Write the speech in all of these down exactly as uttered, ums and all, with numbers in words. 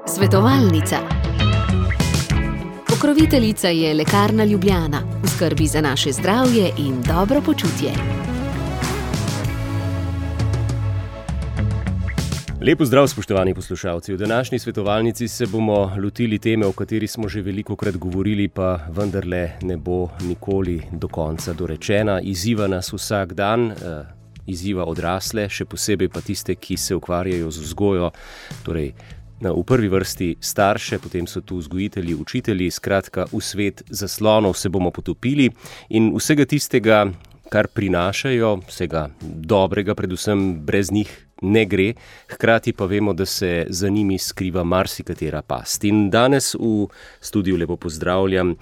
Svetovalnica. Pokroviteljica je Lekarna Ljubljana, v skrbi za naše zdravje in dobro počutje. Lep pozdrav, spoštovani poslušalci. V današnji svetovalnici se bomo lotili teme, o kateri smo že velikokrat govorili, pa vendarle ne bo nikoli do konca dorečena. Izziva nas vsak dan, izziva odrasle, še posebej pa tiste, ki se ukvarjajo z vzgojo, torej v prvi vrsti starše, potem so tu vzgojitelji, učitelji, skratka v svet zaslonov se bomo potopili in vsega tistega, kar prinašajo, vsega dobrega, predvsem brez njih ne gre, hkrati pa vemo, da se za njimi skriva marsikatera past. In danes v studiu lepo pozdravljam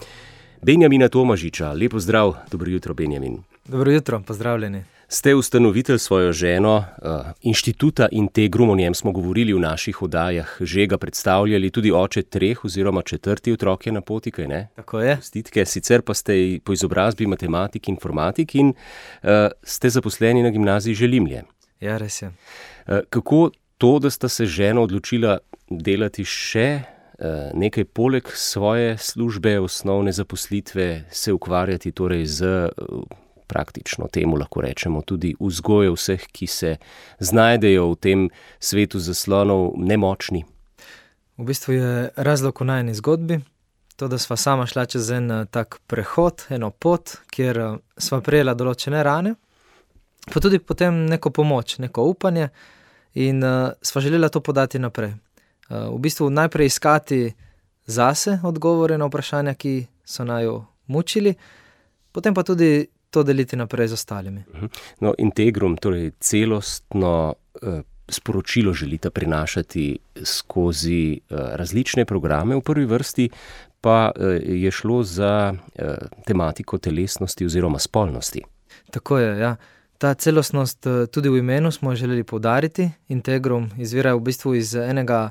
Benjamina Tomažiča. Lep pozdrav, dobro jutro, Benjamin. Dobro jutro, pozdravljeni. Ste ustanovitelj svojo ženo uh, inštituta Integrum, o njem smo govorili v naših oddajah, že ga predstavljali, tudi oče treh oziroma četrti otrok je na poti, kaj ne? Tako je. Stitke, sicer pa ste po izobrazbi matematik, informatik in uh, ste zaposleni na gimnaziji Želimlje. Ja, res je. Uh, kako to, da sta se žena odločila delati še uh, nekaj poleg svoje službe, osnovne zaposlitve, se ukvarjati torej z uh, praktično temu lahko rečemo tudi vzgojo vseh, ki se znajdejo v tem svetu zaslonov nemočni? V bistvu je razlog v najini zgodbi, to, da sva sama šla čez en tak prehod, eno pot, kjer sva prejela določene rane, pa tudi potem neko pomoč, neko upanje in uh, sva želela to podati naprej. Uh, v bistvu najprej iskati zase odgovore na vprašanja, ki so naju mučili, potem pa tudi to deliti naprej z ostalimi. No, Integrum, torej celostno eh, sporočilo želite prinašati skozi eh, različne programe, v prvi vrsti pa eh, je šlo za eh, tematiko telesnosti oziroma spolnosti. Tako je, ja. Ta celostnost eh, tudi v imenu smo želeli poudariti. Integrum izvira v bistvu iz enega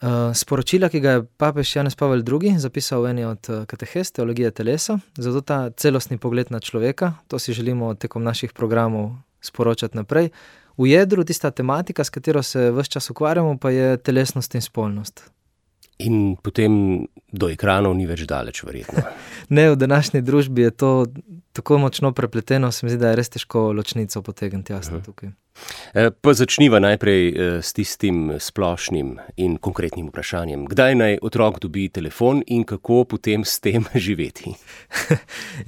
Uh, sporočila, ki ga je papež Janez Pavel drugi zapisal v eni od katehes teologije telesa, zato ta celostni pogled na človeka, to si želimo tekom naših programov sporočati naprej. V jedru tista tematika, s katero se ves čas ukvarjamo, pa je telesnost in spolnost. In potem do ekranov ni več daleč, verjetno. Ne, v današnji družbi je to tako močno prepleteno, se mi zdi, da je res težko ločnico potegniti jasno uh-huh. tukaj. Pa začniva najprej s tistim splošnim in konkretnim vprašanjem. Kdaj naj otrok dobi telefon in kako potem s tem živeti?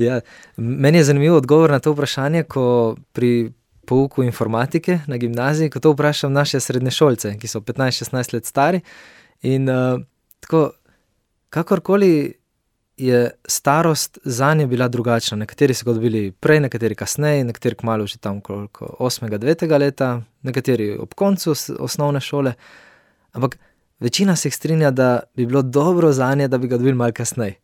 Ja, meni je zanimivo odgovor na to vprašanje, ko pri pouku informatike na gimnaziji, ko to vprašam naše srednješolce, ki so petnajst šestnajst let stari in uh, tako, kakorkoli je starost zanje bila drugačna. Nekateri so ga dobili prej, nekateri kasneje, nekateri kmalu že tam koliko osmega, devetega leta, nekateri ob koncu osnovne šole, ampak večina se jih strinja, da bi bilo dobro zanje, da bi ga dobili malo kasneje.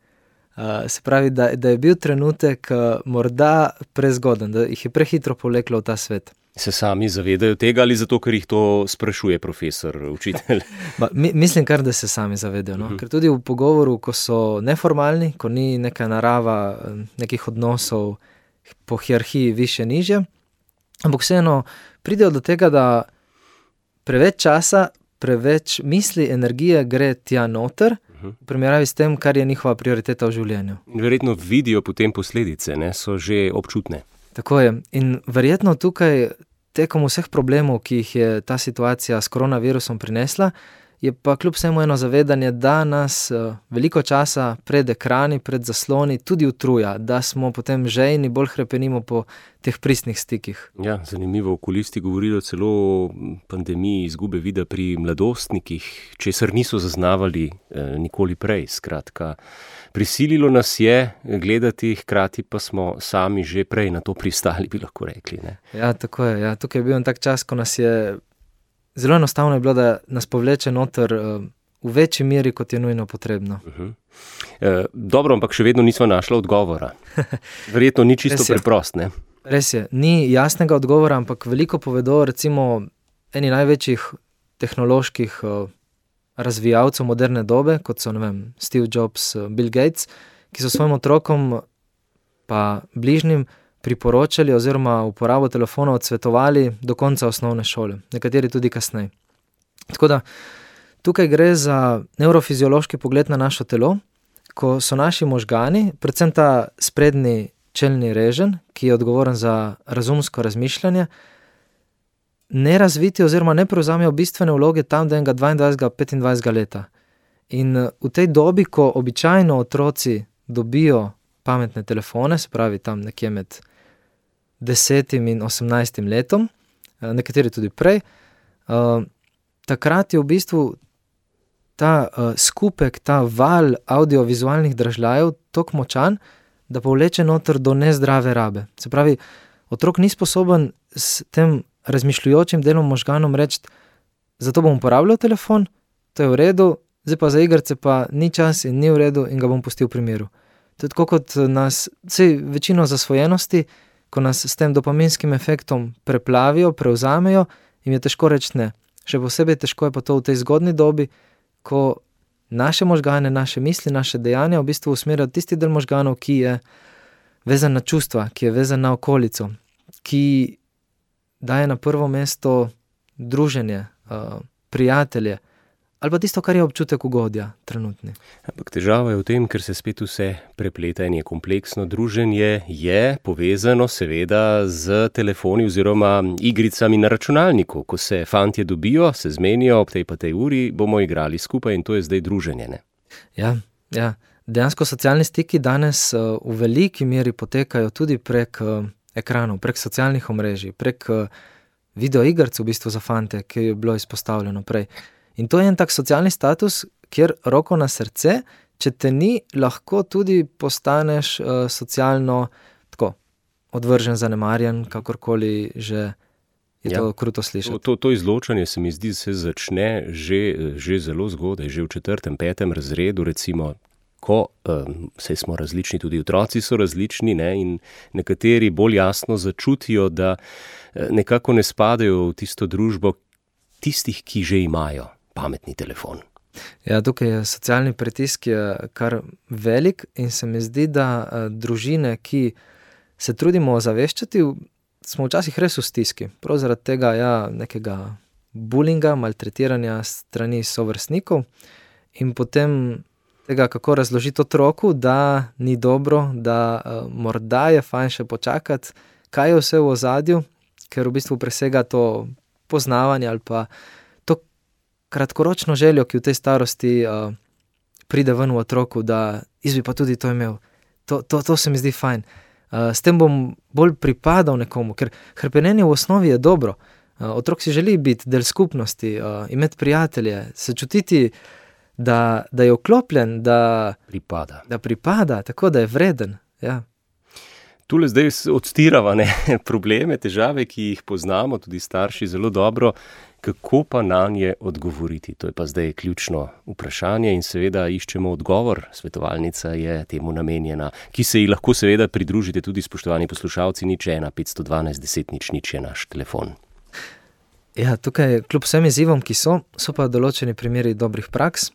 Uh, se pravi, da, da je bil trenutek uh, morda prezgoden, da jih je prehitro povleklo v ta svet. Se sami zavedajo tega ali zato, ker jih to sprašuje profesor, učitelj? Ba, mi, mislim kar, da se sami zavedajo. No? Uh-huh. Ker tudi v pogovoru, ko so neformalni, ko ni neka narava nekih odnosov po hierarhiji više nižje, ampak vseeno pridejo do tega, da preveč časa, preveč misli, energije gre tja noter, uh-huh. v primerjavi s tem, kar je njihova prioriteta v življenju. Verjetno vidijo potem posledice, ne? So že občutne. Tako je. In verjetno tukaj tekom vseh problemov, ki jih je ta situacija s koronavirusom prinesla, je pa kljub vsemu eno zavedanje, da nas uh, veliko časa pred ekrani, pred zasloni tudi utruja, da smo potem žejni, bolj hrepenimo po teh pristnih stikih. Ja, zanimivo, okulisti govorijo celo o pandemiji izgube vida pri mladostnikih, česar niso zaznavali eh, nikoli prej. Skratka, prisililo nas je gledati, hkrati pa smo sami že prej na to pristali, bi lahko rekli. Ne? Ja, tako je. Ja. Tukaj je bil en tak čas, ko nas je zelo enostavno je bilo, da nas povleče noter uh, v večji meri, kot je nujno potrebno. Uh-huh. E, dobro, ampak še vedno nismo našli odgovora. Verjetno ni čisto preprost, ne? Res je, ni jasnega odgovora, ampak veliko povedo recimo eni največjih tehnoloških uh, razvijalcev moderne dobe, kot so, ne vem, Steve Jobs, uh, Bill Gates, ki so svojim otrokom pa bližnjim priporočali oziroma uporabo telefonov odsvetovali do konca osnovne šole, nekateri tudi kasneje. Tako da tukaj gre za nevrofiziološki pogled na naše telo, ko so naši možgani, predvsem ta sprednji čelni reženj, ki je odgovoren za razumsko razmišljanje, ne razviti oziroma ne prevzamejo bistvene vloge tam do enega dvaindvajsetega, petindvajsetega leta. In v tej dobi, ko običajno otroci dobijo pametne telefone, se pravi tam nekje med desetim in osemnajstim letom, nekateri tudi prej, uh, takrat je v bistvu ta uh, skupek, ta val audiovizualnih dražljajev toliko močan, da povleče noter do nezdrave rabe. Se pravi, otrok ni sposoben s tem razmišljujočim delom možganom reči, zato bom uporabljal telefon, to je v redu, zdaj pa za igrice pa ni čas in ni v redu in ga bom pustil v primeru. To je tako kot nas, vsej večino zasvojenosti, ko nas s tem dopaminskim efektom preplavijo, prevzamejo, jim je težko reči ne. Še posebej težko je pa to v tej zgodni dobi, ko naše možgane, naše misli, naše dejanja v bistvu usmerjajo tisti del možganov, ki je vezan na čustva, ki je vezan na okolico, ki daje na prvo mesto druženje, uh, prijatelje, ali pa tisto, kar je občutek ugodja trenutni. Ampak težava je v tem, ker se spet vse prepleta in je kompleksno. Druženje je povezano seveda z telefoni oziroma igricami na računalniku. Ko se fantje dobijo, se zmenijo, ob tej pa tej uri bomo igrali skupaj in to je zdaj druženje, ne? Ja, ja. Dejansko socialni stiki danes uh, v veliki meri potekajo tudi prek uh, ekranov, prek socialnih omrežij, prek uh, videoigrc v bistvu za fante, ki je bilo izpostavljeno prej. In to je en tak socialni status, kjer roko na srce, če te ni, lahko tudi postaneš uh, socialno tako odvržen, zanemarjen, kakorkoli že je ja. To kruto slišati. To, to izločanje se mi zdi, se začne že, že zelo zgodaj, že v četrtem, petem razredu, recimo, ko um, saj smo različni, tudi otroci so različni, ne, in nekateri bolj jasno začutijo, da nekako ne spadajo v tisto družbo tistih, ki že imajo pametni telefon. Ja, tukaj je socialni pritisk je kar velik in se mi zdi, da uh, družine, ki se trudimo ozaveščati, smo včasih res v stiski. Prav zaradi tega ja, nekega bulinga, maltretiranja strani sovrstnikov in potem tega, kako razložiti otroku, da ni dobro, da uh, morda je fajn še počakati, kaj je vse v ozadju, ker v bistvu presega to poznavanje ali pa to kratkoročno željo, ki v tej starosti uh, pride ven v otroku, da jaz bi pa tudi to imel. To, to, to se mi zdi fajn. Uh, s tem bom bolj pripadal nekomu, ker hrepenenje v osnovi je dobro. Uh, otrok si želi biti del skupnosti, uh, imeti prijatelje, se čutiti, da, da je vklopljen, da pripada. Da pripada, tako da je vreden. Ja. Tule zdaj odstirava ne, probleme, težave, ki jih poznamo, tudi starši zelo dobro, kako pa na nje odgovoriti. To je pa zdaj ključno vprašanje in seveda iščemo odgovor. Svetovalnica je temu namenjena, ki se ji lahko seveda pridružite tudi spoštovani poslušalci, nič ena petsto dvanajst deset nič nič je naš telefon. Ja, tukaj kljub vsem izzivom, ki so, so pa določeni primeri dobrih praks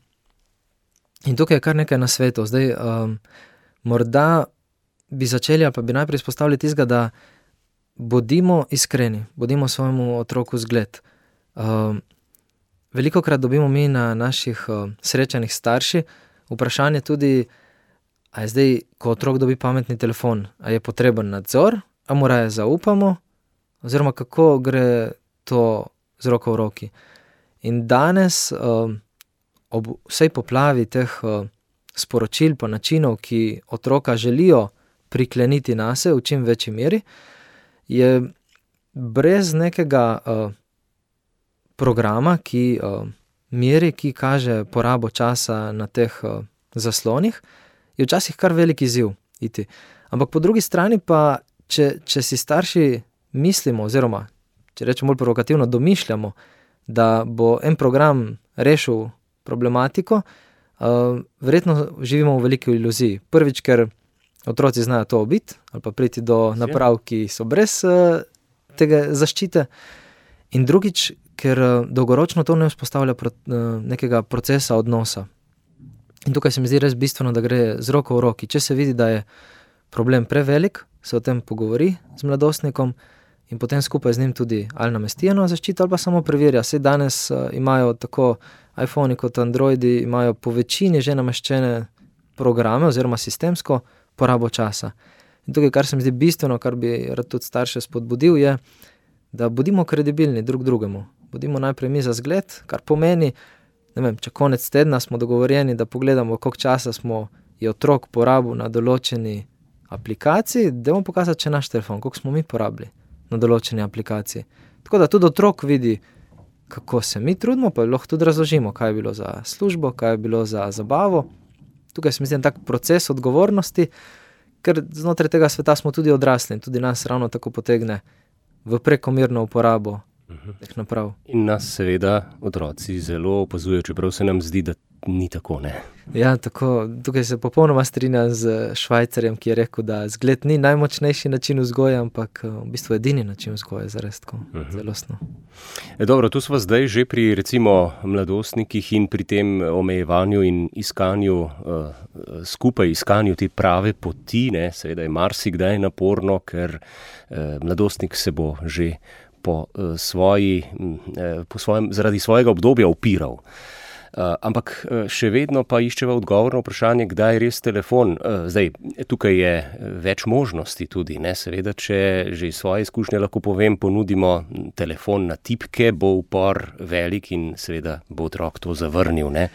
in tukaj je kar nekaj nasvetov. Zdaj, um, morda bi začeli ali pa bi najprej izpostavili tistega, da bodimo iskreni, bodimo svojemu otroku zgled. Uh, velikokrat dobimo mi na naših uh, srečanih starši vprašanje tudi, a je zdaj, ko otrok dobi pametni telefon, a je potreben nadzor, a mu raje zaupamo, oziroma kako gre to z roko v roki. In danes uh, ob vsej poplavi teh uh, sporočil pa načinov, ki otroka želijo prikleniti nase v čim večji meri, je brez nekega uh, programa, ki uh, meri, ki kaže porabo časa na teh uh, zaslonih, je včasih kar velik izziv iti. Ampak po drugi strani pa, če, če si starši mislimo, oziroma, če rečemo bolj provokativno, domišljamo, da bo en program rešil problematiko, uh, verjetno živimo v veliki iluziji. Prvič, ker otroci znajo to obiti, ali pa priti do naprav, ki so brez uh, tega zaščite. In drugič, ker uh, dolgoročno to ne vzpostavlja pro, uh, nekega procesa odnosa. In tukaj se mi zdi res bistveno, da gre z roko v roki. Če se vidi, da je problem prevelik, se o tem pogovori z mladostnikom in potem skupaj z njim tudi ali namesti eno zaščito ali pa samo preverja. Saj danes uh, imajo tako iPhone kot Androidi, imajo po večini že nameščene programe oziroma sistemsko porabo časa. In tukaj, kar se mi zdi bistveno, kar bi rad tudi starše spodbudil, je, da bodimo kredibilni drug drugemu. Bodimo najprej mi za zgled, kar pomeni, ne vem, če konec tedna smo dogovorjeni, da pogledamo, koliko časa smo je otrok porabil na določeni aplikaciji, dajmo pokazati, če naš telefon, koliko smo mi porabili na določeni aplikaciji. Tako da tudi otrok vidi, kako se mi trudimo, pa lahko tudi razložimo, kaj je bilo za službo, kaj je bilo za zabavo. Tukaj se mi zdi tak proces odgovornosti, ker znotraj tega sveta smo tudi odrasli in tudi nas ravno tako potegne v prekomerno uporabo teh naprav. In nas seveda otroci zelo opazujejo, čeprav se nam zdi, da ni tako, ne? Ja, tako, tukaj se popolnoma strinjam z Švajcarjem, ki je rekel, da zgled ni najmočnejši način vzgoje, ampak v bistvu edini način vzgoje, zares tako, uh-huh. zelostno. E, dobro, tu smo zdaj že pri recimo mladostnikih in pri tem omejevanju in iskanju, uh, skupaj iskanju te prave poti, ne, seveda je marsikdaj naporno, ker uh, mladostnik se bo že po, uh, svoji, uh, po svojem, zaradi svojega obdobja upiral. Uh, ampak uh, še vedno pa iščeva odgovor na vprašanje, kdaj je res telefon. Uh, zdaj, tukaj je več možnosti tudi, ne? Seveda, če že iz svoje izkušnje lahko povem, ponudimo telefon na tipke, bo upor velik in seveda bo otrok to zavrnil, ne?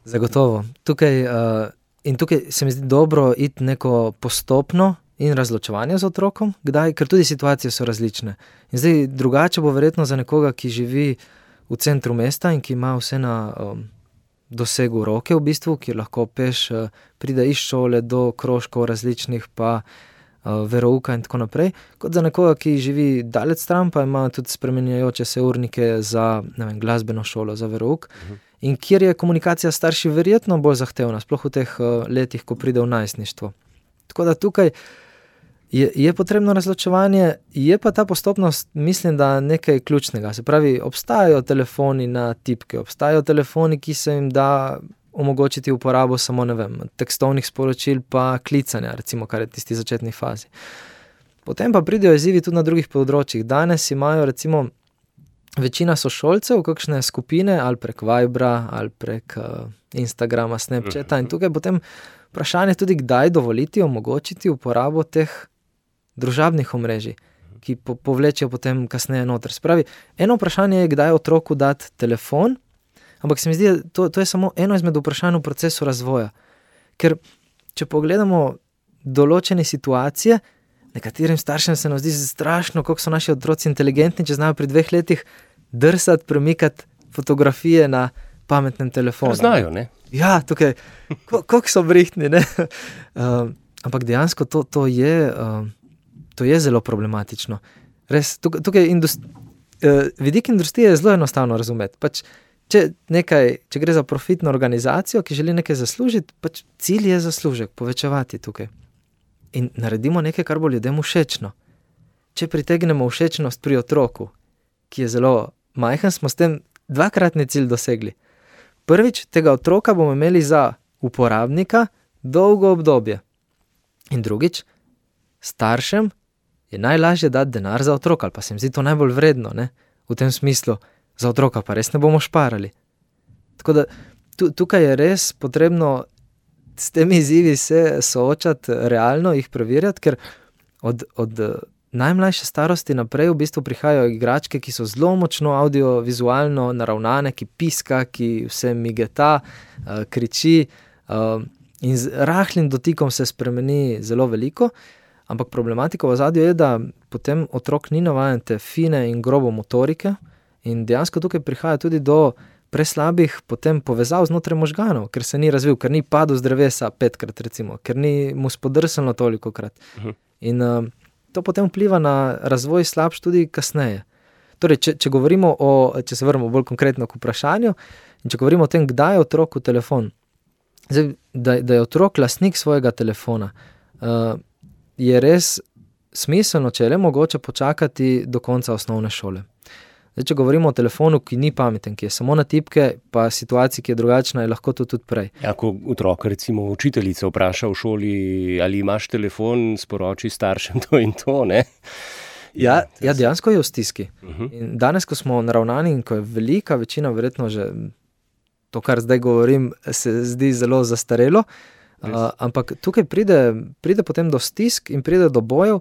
Zagotovo. Tukaj, uh, in tukaj se mi zdi dobro iti neko postopno in razločevanje z otrokom, kdaj, ker tudi situacije so različne. In zdaj drugače bo verjetno za nekoga, ki živi v centru mesta in ki ima vse na um, dosegu roke v bistvu, ki lahko peš uh, pride iz šole do krožkov različnih, pa uh, verouka in tako naprej, kot za nekoga, ki živi daleč stran, pa ima tudi spremenjajoče se urnike za, ne vem, glasbeno šolo, za verouk, uh-huh. in kjer je komunikacija starši verjetno bolj zahtevna, sploh v teh uh, letih, ko pride v najstništvo. Tako da tukaj Je, je potrebno razločevanje, je pa ta postopnost, mislim, da nekaj ključnega. Se pravi, obstajajo telefoni na tipke, obstajajo telefoni, ki se jim da omogočiti uporabo samo, ne vem, tekstovnih sporočil pa klicanja, recimo, kar je tisti začetni fazi. Potem pa pridejo izzivi tudi na drugih področjih. Danes imajo, recimo, večina sošolcev kakšne skupine ali prek Vibra ali prek uh, Instagrama, Snapchata in tukaj potem vprašanje tudi, kdaj dovoliti, omogočiti uporabo teh družabnih omrežij, ki po, povlečejo potem kasneje noter. Spravi, eno vprašanje je, kdaj otroku dati telefon, ampak se mi zdi, to, to je samo eno izmed vprašanj v procesu razvoja. Ker, če pogledamo določene situacije, nekaterim staršem se nam zdi strašno, koliko so naši otroci inteligentni, če znajo pri dveh letih drsati, premikati fotografije na pametnem telefonu. Znajo, ne? Ja, tukaj, koliko so brihtni, ne? Uh, ampak dejansko to, to je... Uh, To je zelo problematično. Res, tukaj, tukaj industri, eh, vidik industrije je zelo enostavno razumeti. Pač, če, nekaj, če gre za profitno organizacijo, ki želi nekaj zaslužiti, pač cilj je zaslužek, povečevati tukaj. In naredimo nekaj, kar bo ljudem všečno. Če pritegnemo všečnost pri otroku, ki je zelo majhen, smo s tem dvakratni cilj dosegli. Prvič, tega otroka bomo imeli za uporabnika dolgo obdobje. In drugič, staršem je najlažje dati denar za otroka, ali pa se jim zdi to najbolj vredno, ne? V tem smislu, za otroka pa res ne bomo šparali. Tako da tu, tukaj je res potrebno s temi izzivi se soočati realno, jih preverjati, ker od, od najmlajše starosti naprej v bistvu prihajajo igračke, ki so zelo močno audiovizualno naravnane, ki piska, ki vse migeta, uh, kriči uh, in z rahlim dotikom se spremeni zelo veliko. Ampak problematika v ozadju je, da potem otrok ni navajen te fine in grobo motorike in dejansko tukaj prihaja tudi do preslabih potem povezav znotraj možganov, ker se ni razvil, ker ni padel z drevesa petkrat recimo, ker ni mu spodrsalo toliko krat. Uh-huh. In uh, to potem vpliva na razvoj slabš tudi kasneje. Torej, če, če govorimo o, če se vrnemo bolj konkretno k vprašanju, in če govorimo o tem, kdaj je otroku telefon, zdaj, da, da je otrok lastnik svojega telefona, uh, je res smiselno, če je le mogoče počakati do konca osnovne šole. Zdaj, če govorimo o telefonu, ki ni pameten, ki je samo na tipke, pa situaciji, ki je drugačna, je lahko to tudi prej. Ja, ko otrok, recimo učiteljica vpraša v šoli, ali imaš telefon, sporoči staršem to in to, ne? Ja, ja, dejansko je v stiski. Uh-huh. In danes, ko smo naravnani in ko je velika večina, verjetno že to, kar zdaj govorim, se zdi zelo zastarelo, uh, ampak tukaj pride, pride potem do stisk in pride do bojev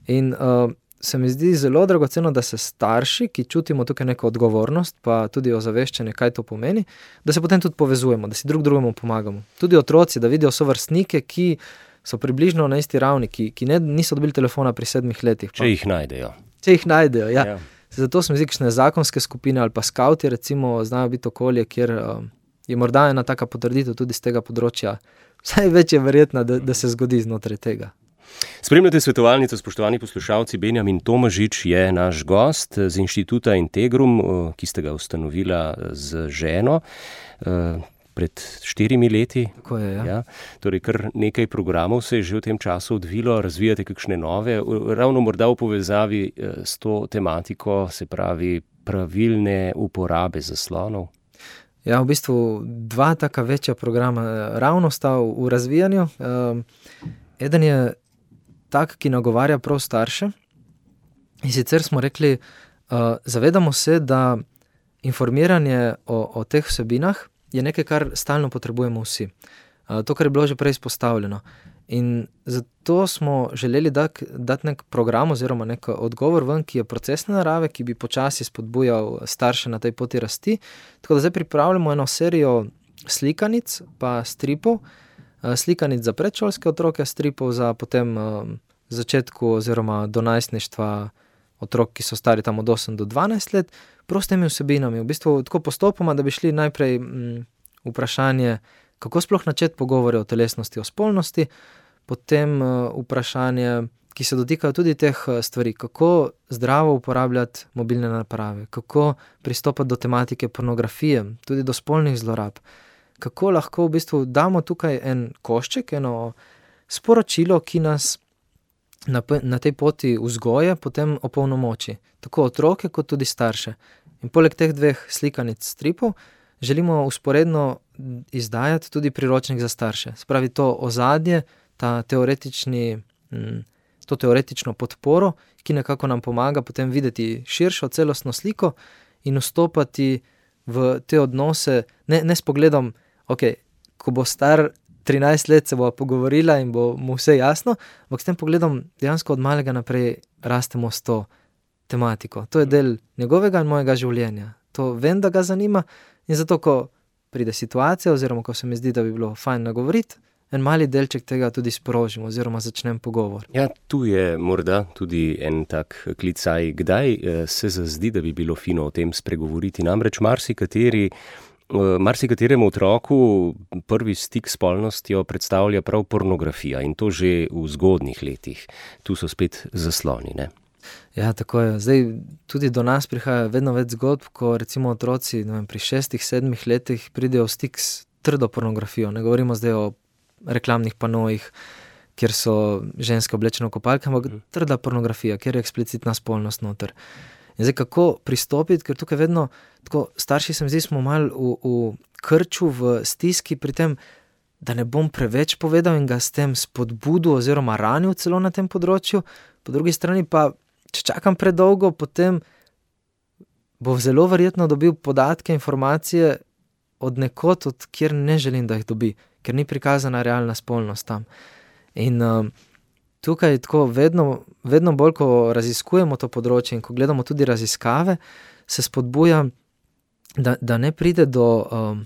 in uh, se mi zdi zelo dragoceno, da se starši, ki čutimo tukaj neko odgovornost, pa tudi ozaveščanje, kaj to pomeni, da se potem tudi povezujemo, da si drug drugemu pomagamo. Tudi otroci, da vidijo sovrstnike, ki so približno na isti ravni, ki, ki ne, niso dobili telefona pri sedmih letih. Pa. Če jih najdejo. Če jih najdejo, ja. Ja. Zato se mi zdi, kakšne zakonske skupine ali pa skauti, recimo, znajo biti okolje, kjer uh, je morda ena taka potrditev tudi z tega področja, vsaj več je verjetna, da, da se zgodi znotraj tega. Spremljate svetovalnico, spoštovani poslušalci. Benjamin Tomažič je naš gost z Inštituta Integrum, ki ste ga ustanovila z ženo pred štirimi leti. Tako je, ja. Ja, torej kar nekaj programov se je že v tem času odvilo, razvijate kakšne nove, ravno morda v povezavi s to tematiko, se pravi pravilne uporabe zaslonov. Ja, v bistvu dva taka večja programa ravno sta v razvijanju. Eden je tak, ki nagovarja prav starše. In sicer smo rekli, uh, zavedamo se, da informiranje o, o teh vsebinah je nekaj, kar stalno potrebujemo vsi. Uh, to, kar je bilo že prej izpostavljeno. In zato smo želeli dati dat nek program oziroma nek odgovor ven, ki je procesne narave, ki bi počasi spodbujal starše na tej poti rasti. Tako da zdaj pripravljamo eno serijo slikanic pa stripov, slikanic za predšolske otroke, stripov za potem um, začetku oziroma do najstništva otrok, ki so stari tam od osem do dvanajst let, prostimi vsebinami. V bistvu tako postopoma, da bi šli najprej m, vprašanje, kako sploh načeti pogovore o telesnosti, o spolnosti, potem uh, vprašanje, ki se dotikajo tudi teh stvari, kako zdravo uporabljati mobilne naprave, kako pristopati do tematike pornografije, tudi do spolnih zlorab, kako lahko v bistvu damo tukaj en košček, eno sporočilo, ki nas na, na tej poti vzgoje potem opolnomoči, tako otroke kot tudi starše. In poleg teh dveh slikanic stripov želimo usporedno izdajati tudi priročnik za starše. Spravi to ozadje, ta teoretični, to teoretično podporo, ki nekako nam pomaga potem videti širšo celostno sliko in vstopati v te odnose, ne, ne s pogledom, ok, ko bo star trinajst let, se bo pogovorila in bo mu vse jasno, ampak s tem pogledom dejansko od malega naprej rastemo s to tematiko. To je del njegovega in mojega življenja. To vem, da ga zanima in zato, ko pride situacija oziroma ko se mi zdi, da bi bilo fajn nagovoriti, en mali delček tega tudi sprožimo oziroma začnem pogovor. Ja, tu je morda tudi en tak klicaj, kdaj se zazdi, da bi bilo fino o tem spregovoriti. Namreč marsikateri Marsikateremu otroku prvi stik s spolnostjo predstavlja prav pornografija in to že v zgodnjih letih. Tu so spet zasloni, ne? Ja, tako je. Zdaj tudi do nas prihaja vedno več zgodb, ko recimo otroci ne vem, pri šestih, sedmih letih pridejo v stik s trdo pornografijo. Ne govorimo zdaj o reklamnih panojih, kjer so ženske oblečene v kopalke, ampak trda pornografija, kjer je eksplicitna spolnost noter. In zdaj, kako pristopiti, ker tukaj vedno, tako starši se mi zdi, smo malo v, v krču, v stiski pri tem, da ne bom preveč povedal in ga s tem spodbudil oziroma ranil celo na tem področju. Po drugi strani pa, če čakam predolgo, potem bo zelo verjetno dobil podatke, informacije od nekod, od kjer ne želim, da jih dobi, ker ni prikazana realna spolnost tam. In uh, tukaj tako vedno, vedno bolj, ko raziskujemo to področje in ko gledamo tudi raziskave, se spodbuja, da, da ne pride do, um,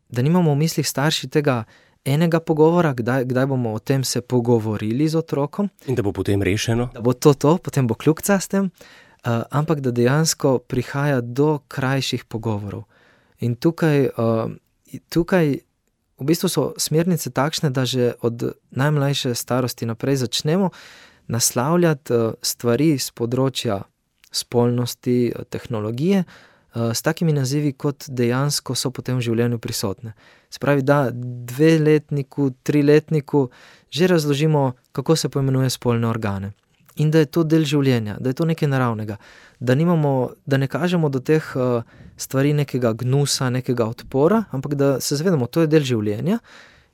da nimamo v mislih starši tega enega pogovora, kdaj, kdaj bomo o tem se pogovorili z otrokom. In da bo potem rešeno. Da bo to to, potem bo kljukca s tem, uh, ampak da dejansko prihaja do krajših pogovorov. In tukaj, uh, tukaj v bistvu so smernice takšne, da že od najmlajše starosti naprej začnemo naslavljati stvari z področja spolnosti, tehnologije, s takimi nazivi, kot dejansko so potem v življenju prisotne. Se pravi, da dveletniku, triletniku že razložimo, kako se poimenuje spolne organe. in da je to del življenja, da je to nekaj naravnega, da, nimamo, da ne kažemo do teh uh, stvari nekega gnusa, nekega odpora, ampak da se zavedamo, to je del življenja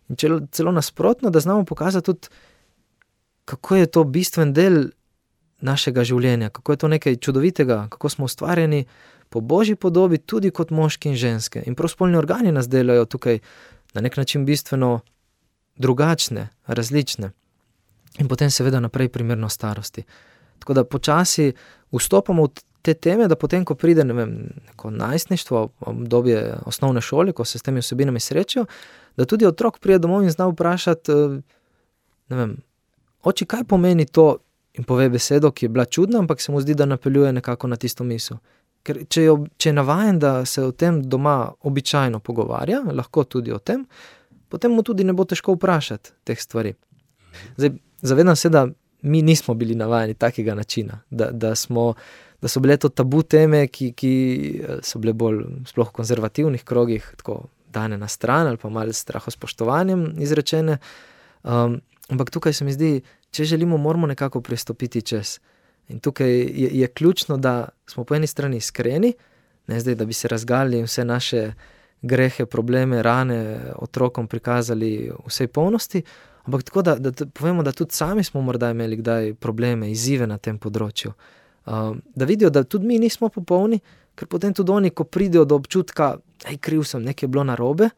in celo, celo nasprotno, da znamo pokazati tudi, kako je to bistven del našega življenja, kako je to nekaj čudovitega, kako smo ustvarjeni po Božji podobi, tudi kot moški in ženske. In prav spolni organi nas delajo tukaj na nek način bistveno drugačne, različne. In potem seveda naprej primerno starosti. Tako da počasi vstopamo v te teme, da potem, ko pride, ne vem, neko najstništvo, obdobje osnovne šole, ko se s temi vsebinami srečajo, da tudi otrok pride domov in zna vprašati, ne vem, oči, kaj pomeni to, in pove besedo, ki je bila čudna, ampak se mu zdi, da napeljuje nekako na tisto misel. Ker če je, če je navajen, da se o tem doma običajno pogovarja, lahko tudi o tem, potem mu tudi ne bo težko vprašati teh stvari. Zdaj, zavedam se, da mi nismo bili navajeni takega načina, da, da, smo, da so bile to tabu teme, ki, ki so bile bolj sploh v konzervativnih krogih, tako dane na stran ali pa malo s strahospoštovanjem izrečene. Um, ampak tukaj se mi zdi, če želimo, moramo nekako pristopiti čez. In tukaj je, je ključno, da smo po eni strani iskreni, ne zdaj, da bi se razgalili vse naše grehe, probleme, rane otrokom prikazali vsej polnosti, ampak tako, da, da povemo, da tudi sami smo morda imeli kdaj probleme, izzive na tem področju. Um, da vidijo, da tudi mi nismo popolni, ker potem tudi oni, ko pridejo do občutka, ej, kriv sem, nekaj je bilo narobe,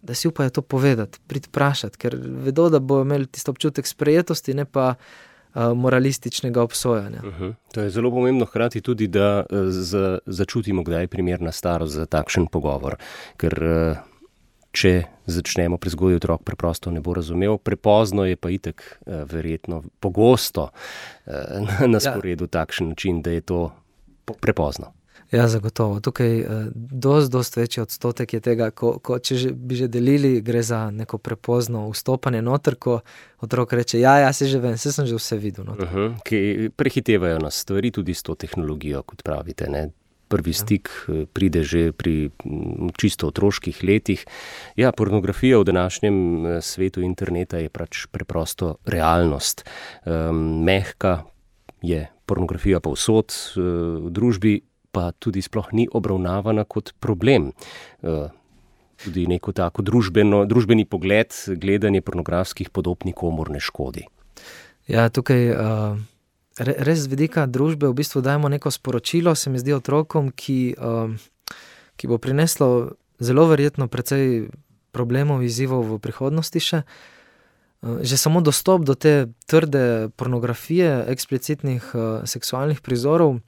da si upajo to povedati, priti vprašati, ker vedo, da bojo imeli tisto občutek sprejetosti, ne pa uh, moralističnega obsojanja. Uh-huh. To je zelo pomembno hkrati tudi, da uh, za, začutimo, kdaj je primerna starost za takšen pogovor, ker uh, če začnemo prezgodaj, otrok preprosto ne bo razumel, prepozno je pa itak uh, verjetno pogosto uh, na sporedu ja. Takšen način, da je to prepozno. Ja, zagotovo. Tukaj eh, dost, dost večji odstotek je tega, ko, ko če že, bi že delili, gre za neko prepozno vstopanje noter, ko otrok reče, ja, ja, se že vem, se sem že vse videl. Uh-huh. Ki prehitevajo nas stvari tudi s to tehnologijo, kot pravite, ne? Prvi stik ja. Pride že pri čisto otroških letih. Ja, pornografija v današnjem svetu interneta je pač preprosto realnost. Um, mehka je pornografija povsod v družbi, pa tudi sploh ni obravnavana kot problem. Tudi neko tako družbeno, družbeni pogled, gledanje pornografskih podob nikomur ne škodi. Ja, tukaj res z vidika družbe v bistvu dajemo neko sporočilo, se mi zdi otrokom, ki, ki bo prineslo zelo verjetno precej problemov, izzivov v prihodnosti še. Že samo dostop do te trde pornografije, eksplicitnih seksualnih prizorov,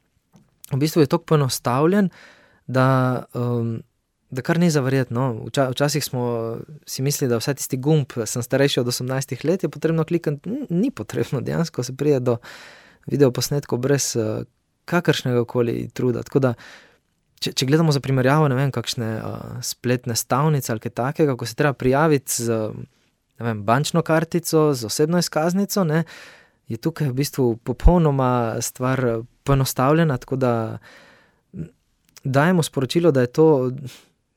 v bistvu je toliko poenostavljen, da, um, da kar ni zaverjetno. Vča, včasih smo si mislili, da vsaj tisti gumb, sem starejši od osemnajstih let, je potrebno klikati. Ni potrebno, dejansko se prije do videoposnetkov brez uh, kakršnega koli truda. Tako da, če, če gledamo za primerjavo, ne vem, kakšne uh, spletne stavnice ali kaj takega, ko se treba prijaviti z ne vem, bančno kartico, z osebno izkaznico, ne, je tukaj v bistvu popolnoma stvar poenostavljena, tako da dajemo sporočilo, da je to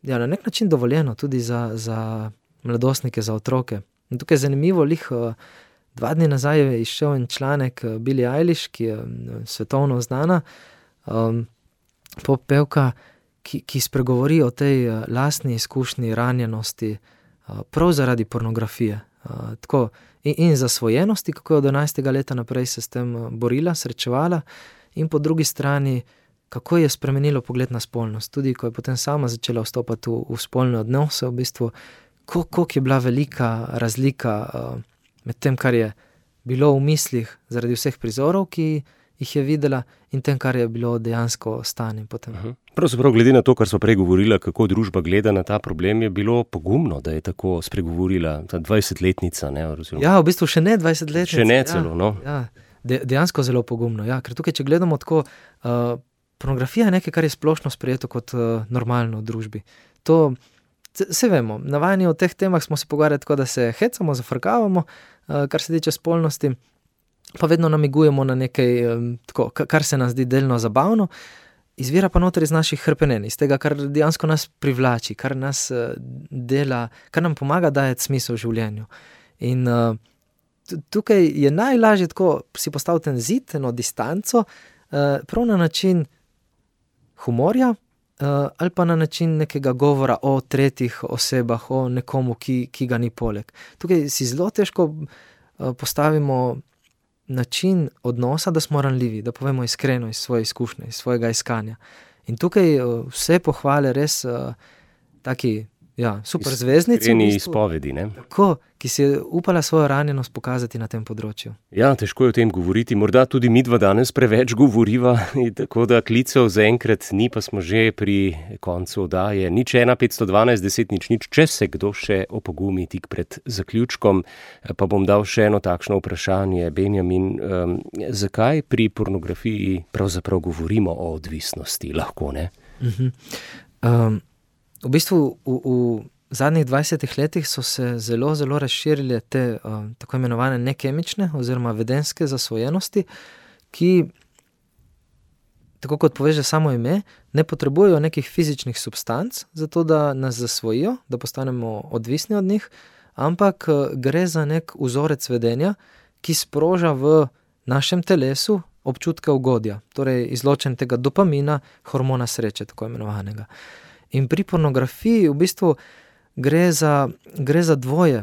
ja, na nek način dovoljeno tudi za, za mladostnike, za otroke. In tukaj je zanimivo, lih dva dni nazaj je izšel en članek Billie Eilish, ki je svetovno znana, um, poppevka, ki, ki spregovori o tej lastni izkušnji ranjenosti uh, prav zaradi pornografije. Uh, tako, in, in zasvojenosti, kako je od enajstega leta naprej se s tem borila, srečevala, in po drugi strani, kako je spremenilo pogled na spolnost. Tudi, ko je potem sama začela vstopati v, v spolne odnose, v bistvu, koliko je bila velika razlika uh, med tem, kar je bilo v mislih zaradi vseh prizorov, ki jih je videla, in tem, kar je bilo dejansko stanje potem. Uh-huh. Pravzaprav, glede na to, kar so prej govorila, kako družba gleda na ta problem, je bilo pogumno, da je tako spregovorila ta dvajsetletnica. Ne, ja, v bistvu še ne dvajsetletnica. Še ne celo, ja, no. Ja, de, dejansko zelo pogumno, ja, ker tukaj, če gledamo tako, uh, pornografija je nekaj, kar je splošno sprejeto kot uh, normalno v družbi. To, se vemo, navajeni v teh temah smo se pogovarjali tako, da se hecamo, zafrkavamo, uh, kar se tiče spolnosti, pa vedno namigujemo na nekaj, um, tako, kar se nam zdi delno zabavno, izvira pa noter iz naših hrpenenj, iz tega, kar dejansko nas privlači, kar nas uh, dela, kar nam pomaga dajati smisel v življenju. In uh, tukaj je najlažje tako si postaviti en zid, eno distanco, uh, prav na način humorja, uh, ali pa na način nekega govora o tretjih osebah, o nekomu, ki, ki ga ni poleg. Tukaj si zelo težko uh, postavimo način odnosa, da smo ranljivi, da povemo iskreno iz svoje izkušnje, iz svojega iskanja. In tukaj uh, vse pohvale res uh, taki, ja, super zvezdnici. Iskreni izpovedi, ne? Tako, ki si je upala svojo ranjenost pokazati na tem področju. Ja, težko je o tem govoriti. Morda tudi midva danes preveč govoriva, tako da klicev zaenkrat ni, pa smo že pri koncu oddaje. Nič ena, petsto dvanajst, deset, nič, nič. Če se kdo še opogumi tik pred zaključkom, pa bom dal še eno takšno vprašanje. Benjamin, um, zakaj pri pornografiji pravzaprav govorimo o odvisnosti? Lahko, ne? Uh-huh. Um, v bistvu v, v zadnjih dvajsetih letih so se zelo, zelo razširile te uh, tako imenovane nekemične oziroma vedenske zasvojenosti, ki, tako kot poveže samo ime, ne potrebujejo nekih fizičnih substanc, zato da nas zasvojijo, da postanemo odvisni od njih, ampak uh, gre za nek vzorec vedenja, ki sproža v našem telesu občutke ugodja, torej izločen tega dopamina, hormona sreče, tako imenovanega. In pri pornografiji v bistvu gre za, gre za dvoje.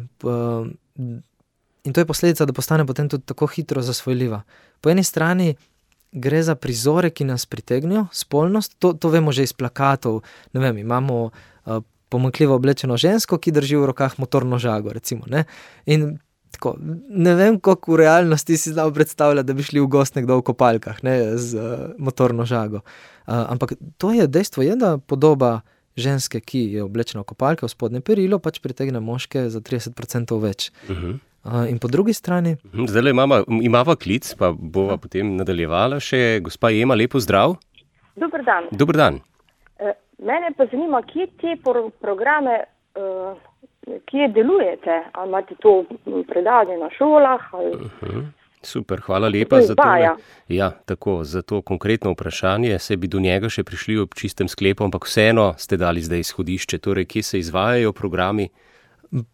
In to je posledica, da postane potem tudi tako hitro zasvojljiva. Po eni strani gre za prizore, ki nas pritegnijo, spolnost, to, to vemo že iz plakatov. Ne vem, imamo uh, pomanjkljivo oblečeno žensko, ki drži v rokah motorno žago, recimo, ne? In tako, ne vem, koliko v realnosti si znal predstavljati, da bi šli v gost nekdo v kopalkah, ne, z uh, motorno žago. Uh, ampak to je dejstvo, je, da podoba ženske, ki je oblečena v kopalke, v spodnje perilo, pač pritegne moške za trideset procentov več. Uh-huh. Uh, in po drugi strani... Zdaj imamo, imava klic, pa bova potem nadaljevala še. Gospa Ema, lepo zdrav. Dober dan. Dober dan. E, mene pa zanima, kje te pro- programe, uh, kje delujete? Ali imate to predavanje na šolah? Ali... Uh-huh. Super, hvala lepa za to. Ja, tako, za to konkretno vprašanje. Se bi do njega še prišli ob čistem sklepu, ampak vseeno ste dali zdaj izhodišče. Torej, kje se izvajajo programi?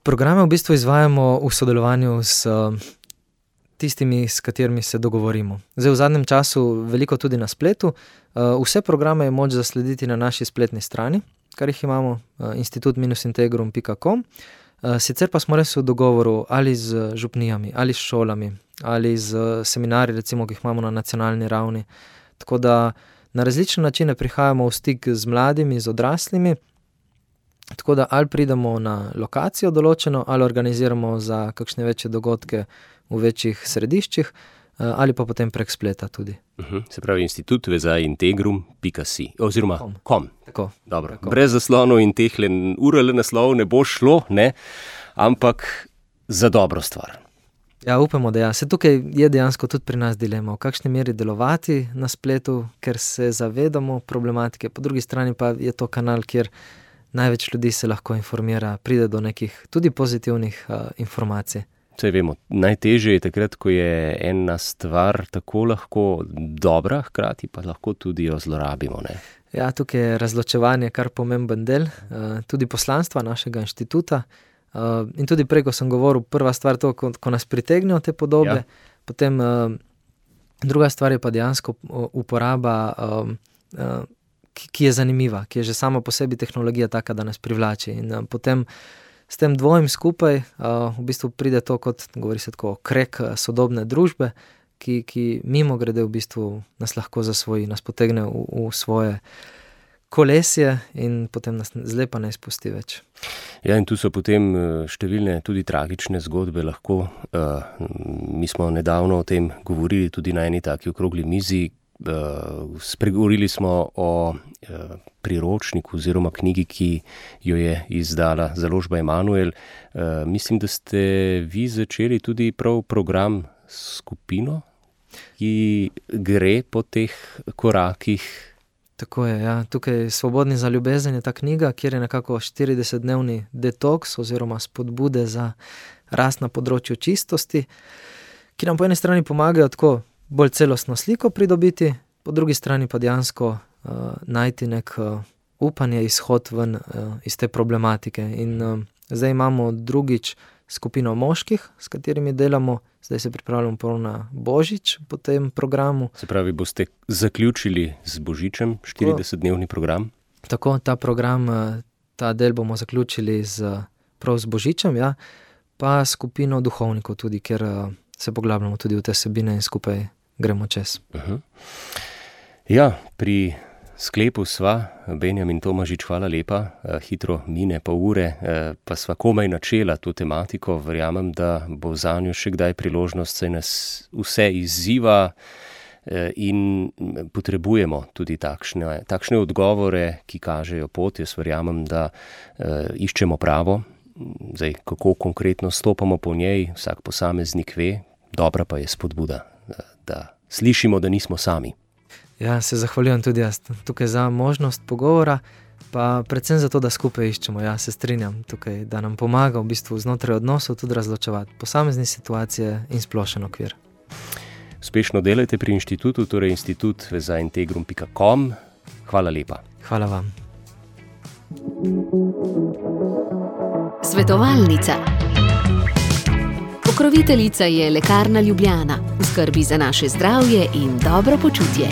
Programe v bistvu izvajamo v sodelovanju s tistimi, s katerimi se dogovorimo. Zdaj v zadnjem času veliko tudi na spletu. Vse programe je moč zaslediti na naši spletni strani, kar jih imamo, institut integrum pika com. Sicer pa smo res v dogovoru ali z župnijami, ali s šolami, ali z seminarji, recimo, ki jih imamo na nacionalni ravni. Tako da na različne načine prihajamo v stik z mladimi, z odraslimi, tako da ali pridemo na lokacijo določeno, ali organiziramo za kakšne večje dogodke v večjih središčih, ali pa potem prek spleta tudi. Uh-huh. Se pravi, institut integrum pika si oziroma com. com. Tako, Dobro. Tako. Brez zaslonov in teh U R L naslov ne bo šlo, ne? Ampak za dobro stvar. Ja, upamo, da ja. Se tukaj je dejansko tudi pri nas dilema, v kakšni meri delovati na spletu, ker se zavedamo problematike, po drugi strani pa je to kanal, kjer največ ljudi se lahko informira, pride do nekih tudi pozitivnih uh, informacij. Saj vemo, najtežje je takrat, ko je ena stvar tako lahko dobra, hkrati pa lahko tudi jo zlorabimo, ne? Ja, tukaj je razločevanje kar pomemben del, uh, tudi poslanstva našega inštituta. Uh, in tudi prej, ko sem govoril, prva stvar to, ko, ko nas pritegnejo te podobe, ja. Potem uh, druga stvar je pa dejansko uporaba, um, uh, ki, ki je zanimiva, ki je že sama po sebi tehnologija taka, da nas privlači. In uh, potem s tem dvojim skupaj uh, v bistvu pride to, kot govori se tako, krek sodobne družbe, ki, ki mimo grede v bistvu nas lahko zasvoji, nas potegne v, v svoje kolesje in potem nas zlepa ne izpusti več. Ja, in tu so potem številne tudi tragične zgodbe lahko. Uh, mi smo nedavno o tem govorili tudi na eni taki okrogli mizi. Uh, spregovorili smo o uh, priročniku oziroma knjigi, ki jo je izdala založba Emanuel. Uh, mislim, da ste vi začeli tudi prav program skupino, ki gre po teh korakih. Tako je, ja. Tukaj Svobodni za ljubezen je ta knjiga, kjer je nekako štiridesetdnevni detoks oziroma spodbude za rast na področju čistosti, ki nam po eni strani pomagajo tako bolj celostno sliko pridobiti, po drugi strani pa dejansko uh, najti nek uh, upanje, izhod ven uh, iz te problematike. In uh, zdaj imamo drugič skupino moških, s katerimi delamo. Zdaj se pripravljamo prav na Božič po tem programu. Se pravi, boste zaključili z Božičem štiridesetdnevni program? Tako, ta program, ta del bomo zaključili z, prav z Božičem, ja, pa skupino duhovnikov tudi, ker se poglabljamo tudi v te sebine in skupaj gremo čez. Uh-huh. Ja, pri sklepu sva, Benjamin Tomažič, hvala lepa, hitro mine pa ure, pa sva komaj načela to tematiko, verjamem, da bo zanjo še kdaj priložnost, saj nas vse izziva in potrebujemo tudi takšne, takšne odgovore, ki kažejo pot. Jaz verjamem, da iščemo pravo, zdaj kako konkretno stopamo po njej, vsak posameznik ve, dobra pa je spodbuda, da, da slišimo, da nismo sami. Ja, se zahvaljujem tudi jaz tukaj za možnost pogovora, pa predvsem za to, da skupaj iščemo. Ja, se strinjam tukaj, da nam pomaga v bistvu znotraj odnosov tudi razločevati posamezne situacije in splošen okvir. Uspešno delajte pri inštitutu, torej institut za integrum pika com. Hvala lepa. Hvala vam. Svetovalnica. Pokroviteljica je Lekarna Ljubljana, v skrbi za naše zdravje in dobro počutje.